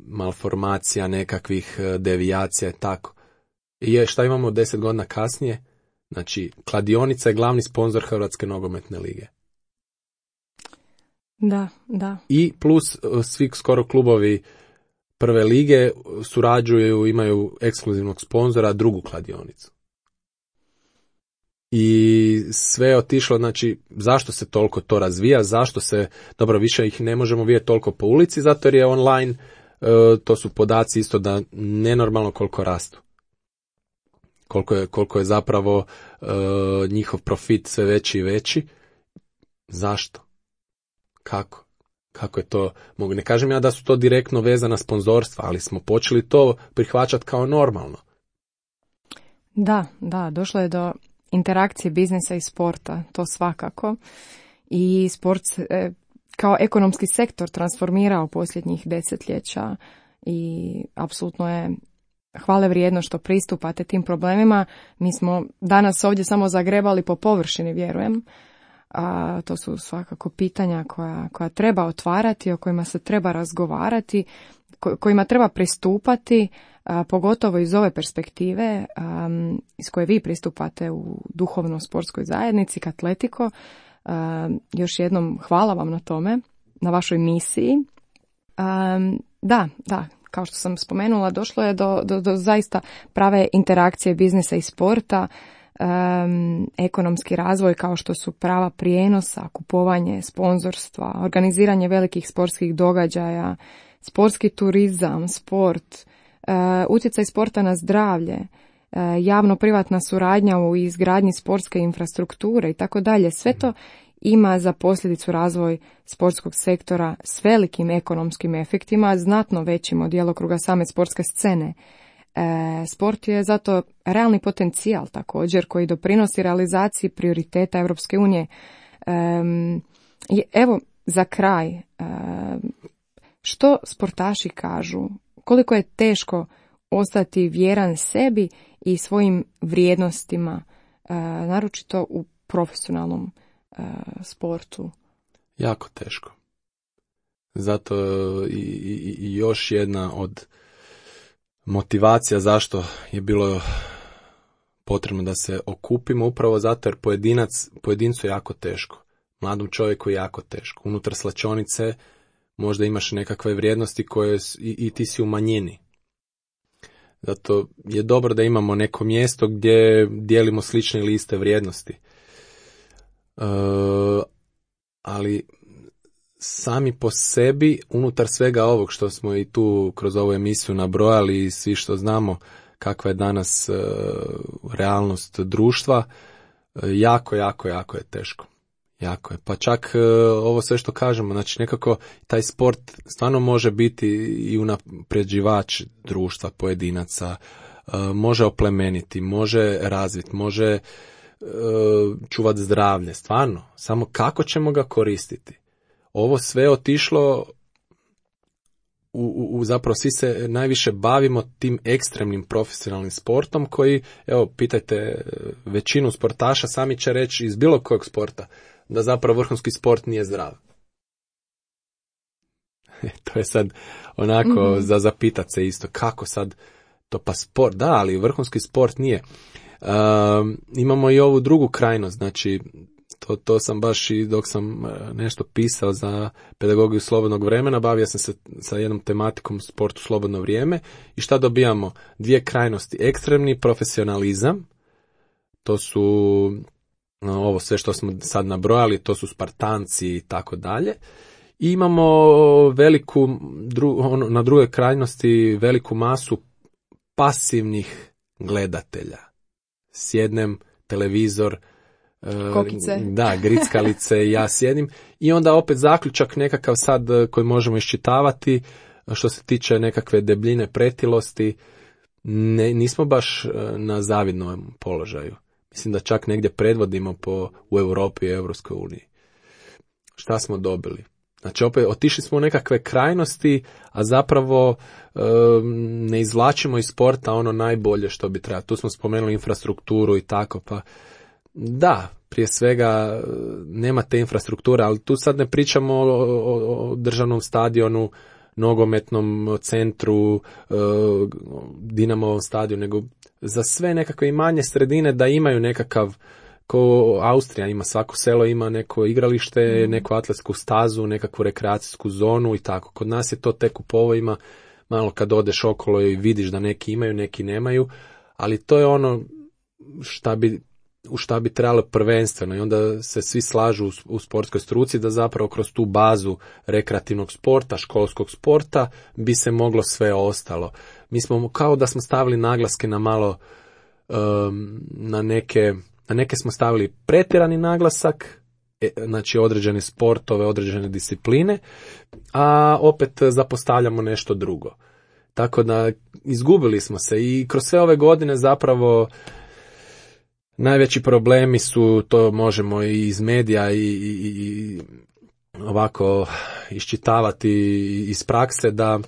S3: malformacija, nekakvih devijacija i tako. I šta imamo deset godina kasnije? Znači, kladionica je glavni sponzor Hrvatske nogometne lige.
S2: Da, da.
S3: I plus svi skoro klubovi prve lige surađuju, imaju ekskluzivnog sponzora, drugu kladionicu. I sve je otišlo, znači, zašto se toliko to razvija, zašto se, dobro, više ih ne možemo vidjeti toliko po ulici, zato jer je online, to su podaci isto da nenormalno koliko rastu. Koliko je, koliko je zapravo njihov profit sve veći i veći. Zašto? Kako? Kako je to? Mogu, ne kažem ja da su to direktno vezana sponzorstva, ali smo počeli to prihvaćati kao normalno.
S2: Da, da, došlo je do interakcije biznisa i sporta, to svakako. I sport se kao ekonomski sektor transformirao posljednjih desetljeća i apsolutno je hvale vrijedno što pristupate tim problemima. Mi smo danas ovdje samo zagrebali po površini, vjerujem. A to su svakako pitanja koja, koja treba otvarati, o kojima se treba razgovarati, ko, kojima treba pristupati, a, pogotovo iz ove perspektive a, iz koje vi pristupate u duhovno-sportskoj zajednici Katletiko. A, još jednom hvala vam na tome, na vašoj misiji. A, da, da, kao što sam spomenula, došlo je do, do, do zaista prave interakcije biznisa i sporta. Um, ekonomski razvoj kao što su prava prijenosa, kupovanje, sponzorstva, organiziranje velikih sportskih događaja, sportski turizam, sport, uh, utjecaj sporta na zdravlje, uh, javno-privatna suradnja u izgradnji sportske infrastrukture i tako dalje. Sve to ima za posljedicu razvoj sportskog sektora s velikim ekonomskim efektima, znatno većim od djelokruga same sportske scene. E, sport je zato realni potencijal također koji doprinosi realizaciji prioriteta Europske unije. E, evo za kraj, e, što sportaši kažu, koliko je teško ostati vjeran sebi i svojim vrijednostima, e, naročito u profesionalnom e, sportu?
S3: Jako teško. Zato i, i, i još jedna od motivacija zašto je bilo potrebno da se okupimo, upravo zato jer pojedinac, pojedincu je jako teško. Mladom čovjeku je jako teško. Unutar slačionice možda imaš nekakve vrijednosti koje i, i ti si u manjini. Zato je dobro da imamo neko mjesto gdje dijelimo slične ili iste vrijednosti. E, ali sami po sebi, unutar svega ovog što smo i tu kroz ovu emisiju nabrojali i svi što znamo kakva je danas e, realnost društva, e, jako, jako, jako je teško. Jako je. Pa čak e, ovo sve što kažemo, znači nekako taj sport stvarno može biti i unapređivač društva, pojedinaca, e, može oplemeniti, može razviti, može e, čuvati zdravlje, stvarno. Samo kako ćemo ga koristiti? Ovo sve otišlo u, u, u zapravo svi se najviše bavimo tim ekstremnim profesionalnim sportom koji, evo, pitajte većinu sportaša, sami će reći iz bilo kojeg sporta da zapravo vrhunski sport nije zdrav. To je sad onako mm-hmm. za zapitat se isto, kako sad to pa sport, da, ali vrhunski sport nije. Um, imamo i ovu drugu krajnost, znači To, to sam baš i dok sam nešto pisao za pedagogiju slobodnog vremena, bavio sam se sa jednom tematikom sportu slobodno vrijeme i šta dobijamo? Dvije krajnosti. Ekstremni profesionalizam, to su ovo sve što smo sad nabrojali, to su Spartanci i tako dalje. I imamo veliku, dru, ono, na drugoj krajnosti veliku masu pasivnih gledatelja. Sjednem, televizor,
S2: kokice.
S3: Da, grickalice, ja sjedim i onda opet zaključak nekakav sad koji možemo iščitavati što se tiče nekakve debljine, pretilosti, ne, nismo baš na zavidnom položaju. Mislim da čak negdje predvodimo po, u Europi i Europskoj uniji. Šta smo dobili? Znači opet otišli smo u nekakve krajnosti, a zapravo e, ne izvlačimo iz sporta ono najbolje što bi trebalo. Tu smo spomenuli infrastrukturu i tako, pa da, prije svega nema te infrastrukture, ali tu sad ne pričamo o, o, o državnom stadionu nogometnom centru, Dinamovom stadiju, nego za sve nekakve i manje sredine da imaju nekakav, ko Austrija ima, svako selo ima neko igralište, mm. neku atletsku stazu, nekakvu rekreacijsku zonu i tako. Kod nas je to tek u povojima, malo kad odeš okolo i vidiš da neki imaju, neki nemaju, ali to je ono šta bi, u šta bi trebalo prvenstveno i onda se svi slažu u, u sportskoj struci da zapravo kroz tu bazu rekreativnog sporta, školskog sporta bi se moglo sve ostalo. Mi smo kao da smo stavili naglaske na malo um, na neke na neke smo stavili pretjerani naglasak, e, znači određene sportove, određene discipline, a opet zapostavljamo nešto drugo. Tako da izgubili smo se i kroz sve ove godine zapravo najveći problemi su, to možemo i iz medija i, i, i ovako iščitavati iz prakse, da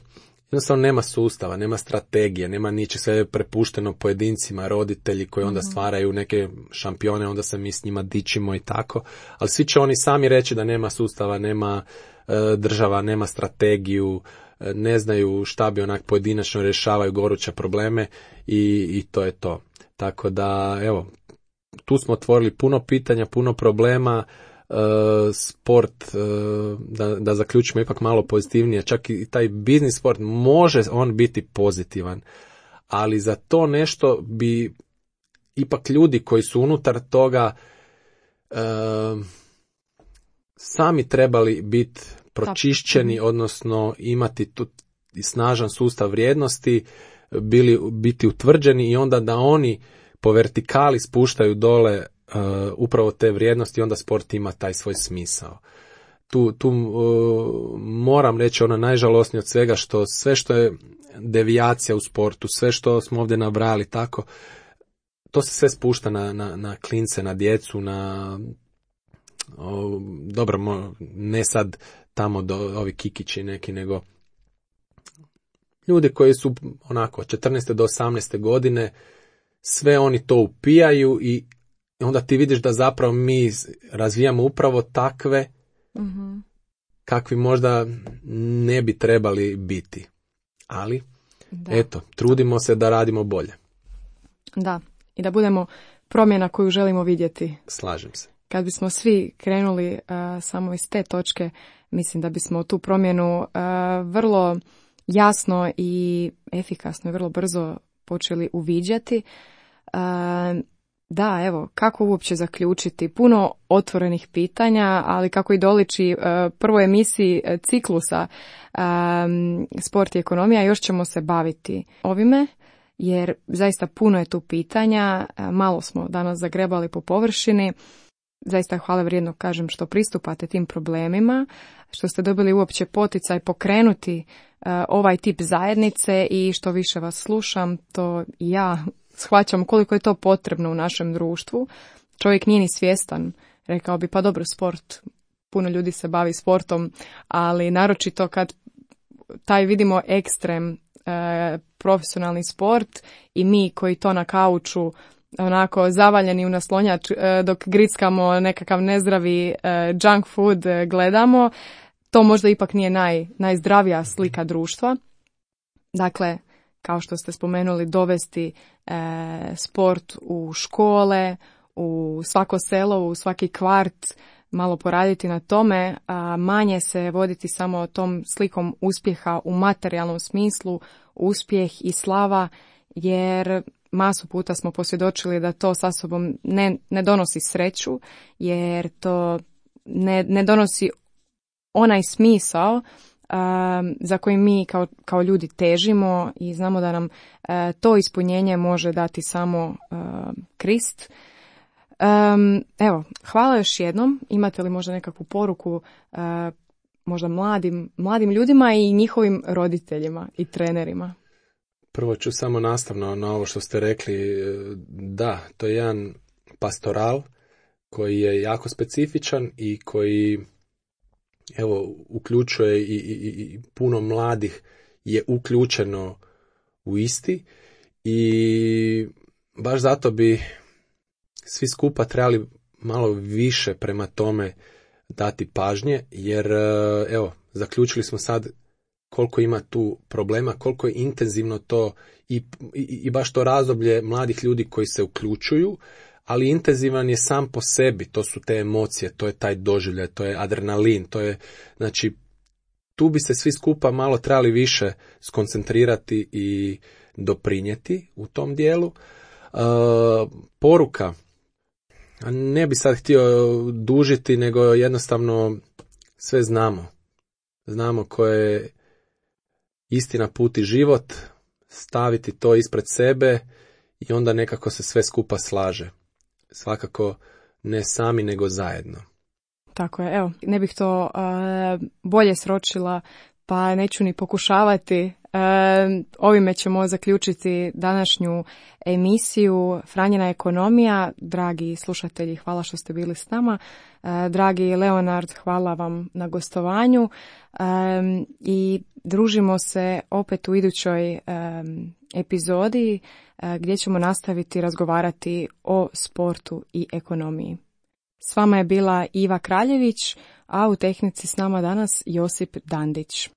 S3: jednostavno nema sustava, nema strategije, nema niče, sve je prepušteno pojedincima, roditelji koji onda stvaraju neke šampione, onda se mi s njima dičimo i tako, ali svi će oni sami reći da nema sustava, nema e, država, nema strategiju, e, ne znaju šta bi onak pojedinačno rješavaju goruće probleme i, i to je to. Tako da, evo, tu smo otvorili puno pitanja, puno problema, e, sport, e, da, da zaključimo ipak malo pozitivnije, čak i taj biznis sport može on biti pozitivan, ali za to nešto bi ipak ljudi koji su unutar toga e, sami trebali biti pročišćeni, odnosno imati tu snažan sustav vrijednosti, bili, biti utvrđeni i onda da oni po vertikali spuštaju dole uh, upravo te vrijednosti, onda sport ima taj svoj smisao. Tu, tu uh, moram reći ono najžalosnije od svega, što sve što je devijacija u sportu, sve što smo ovdje nabrali tako, to se sve spušta na, na, na klince, na djecu, na o, dobro, ne sad tamo do ovi kikići neki, nego ljudi koji su onako od četrnaeste do osamnaeste godine, sve oni to upijaju i onda ti vidiš da zapravo mi razvijamo upravo takve mm-hmm. kakvi možda ne bi trebali biti. Ali, da. Eto, trudimo se da radimo bolje.
S2: Da, i da budemo promjena koju želimo vidjeti.
S3: Slažem se.
S2: Kad bismo svi krenuli uh, samo iz te točke, mislim da bismo tu promjenu uh, vrlo jasno i efikasno i vrlo brzo počeli uviđati. Uh, da, evo, kako uopće zaključiti? Puno otvorenih pitanja, ali kako i doliči uh, prvoj emisiji ciklusa um, Sport i ekonomija, još ćemo se baviti ovime, jer zaista puno je tu pitanja, uh, malo smo danas zagrebali po površini. Zaista hvala vrijedno, kažem, što pristupate tim problemima, što ste dobili uopće poticaj pokrenuti uh, ovaj tip zajednice i što više vas slušam, to ja shvaćam koliko je to potrebno u našem društvu. Čovjek nije ni svjestan, rekao bi, pa dobro, sport, puno ljudi se bavi sportom, ali naročito kad taj vidimo ekstrem, uh, profesionalni sport i mi koji to na kauču onako zavaljeni u naslonjač dok grickamo nekakav nezdravi junk food gledamo, to možda ipak nije naj, najzdravija slika društva. Dakle, kao što ste spomenuli, dovesti e, sport u škole, u svako selo, u svaki kvart, malo poraditi na tome, a manje se voditi samo tom slikom uspjeha u materijalnom smislu, uspjeh i slava, jer masu puta smo posvjedočili da to sa sobom ne, ne donosi sreću, jer to ne, ne donosi onaj smisao um, za koji mi kao, kao ljudi težimo i znamo da nam uh, to ispunjenje može dati samo uh, Krist. Um, evo, hvala još jednom. Imate li možda nekakvu poruku uh, možda mladim, mladim ljudima i njihovim roditeljima i trenerima?
S3: Prvo ću samo nastavno na ovo što ste rekli, da, to je jedan pastoral koji je jako specifičan i koji, evo, uključuje i, i, i puno mladih je uključeno u isti i baš zato bi svi skupa trebali malo više prema tome dati pažnje, jer, evo, zaključili smo sad koliko ima tu problema, koliko je intenzivno to i, i, i baš to razdoblje mladih ljudi koji se uključuju, ali intenzivan je sam po sebi, to su te emocije, to je taj doživljaj, to je adrenalin, to je, znači, tu bi se svi skupa malo trebali više skoncentrirati i doprinijeti u tom dijelu. Uh, poruka, ne bi sad htio dužiti, nego jednostavno sve znamo. Znamo koje je istina, put i život, staviti to ispred sebe i onda nekako se sve skupa slaže. Svakako ne sami, nego zajedno.
S2: Tako je, evo, ne bih to uh, bolje sročila, pa neću ni pokušavati. Uh, ovime ćemo zaključiti današnju emisiju Franjina ekonomija. Dragi slušatelji, hvala što ste bili s nama. Uh, dragi Leonard, hvala vam na gostovanju. Um, I družimo se opet u idućoj um, epizodi uh, gdje ćemo nastaviti razgovarati o sportu i ekonomiji. S vama je bila Iva Kraljević, a u tehnici s nama danas Josip Dandić.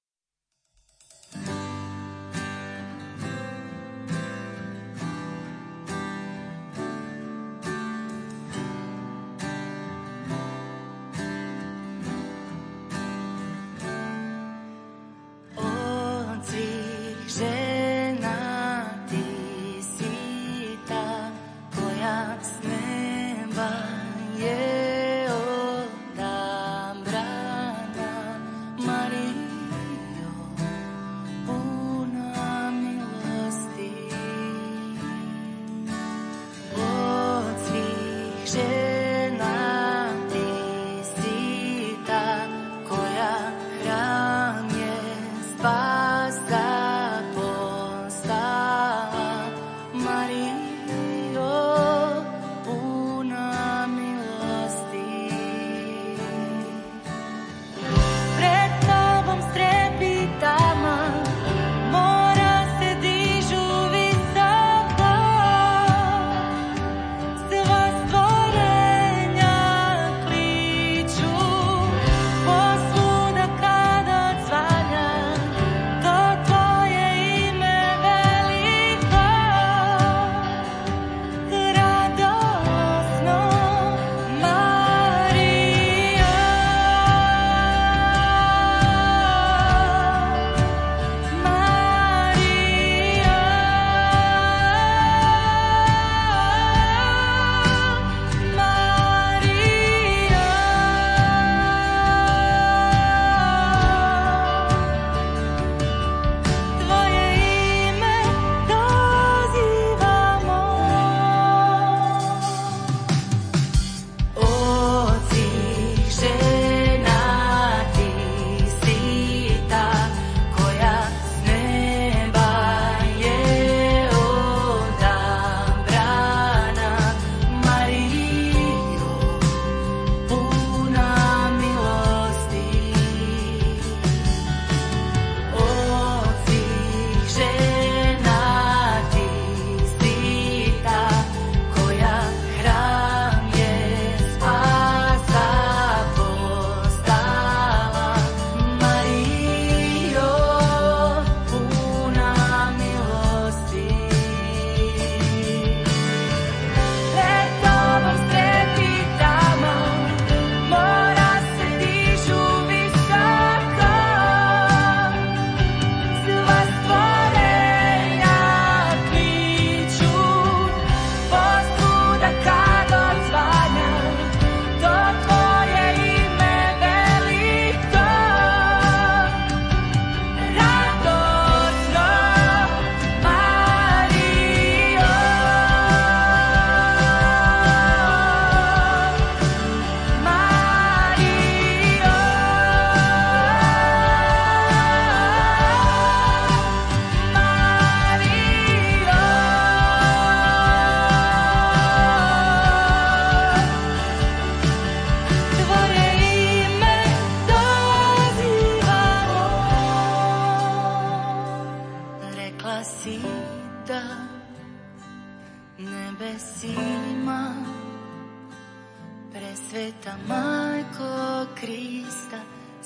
S1: Presveta Majko Krista,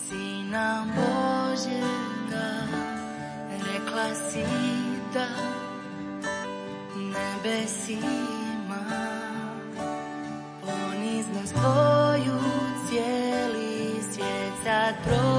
S4: Sina Božjega, rekla si da nebesima poniznost tvoju cijeli svijet sad prođe.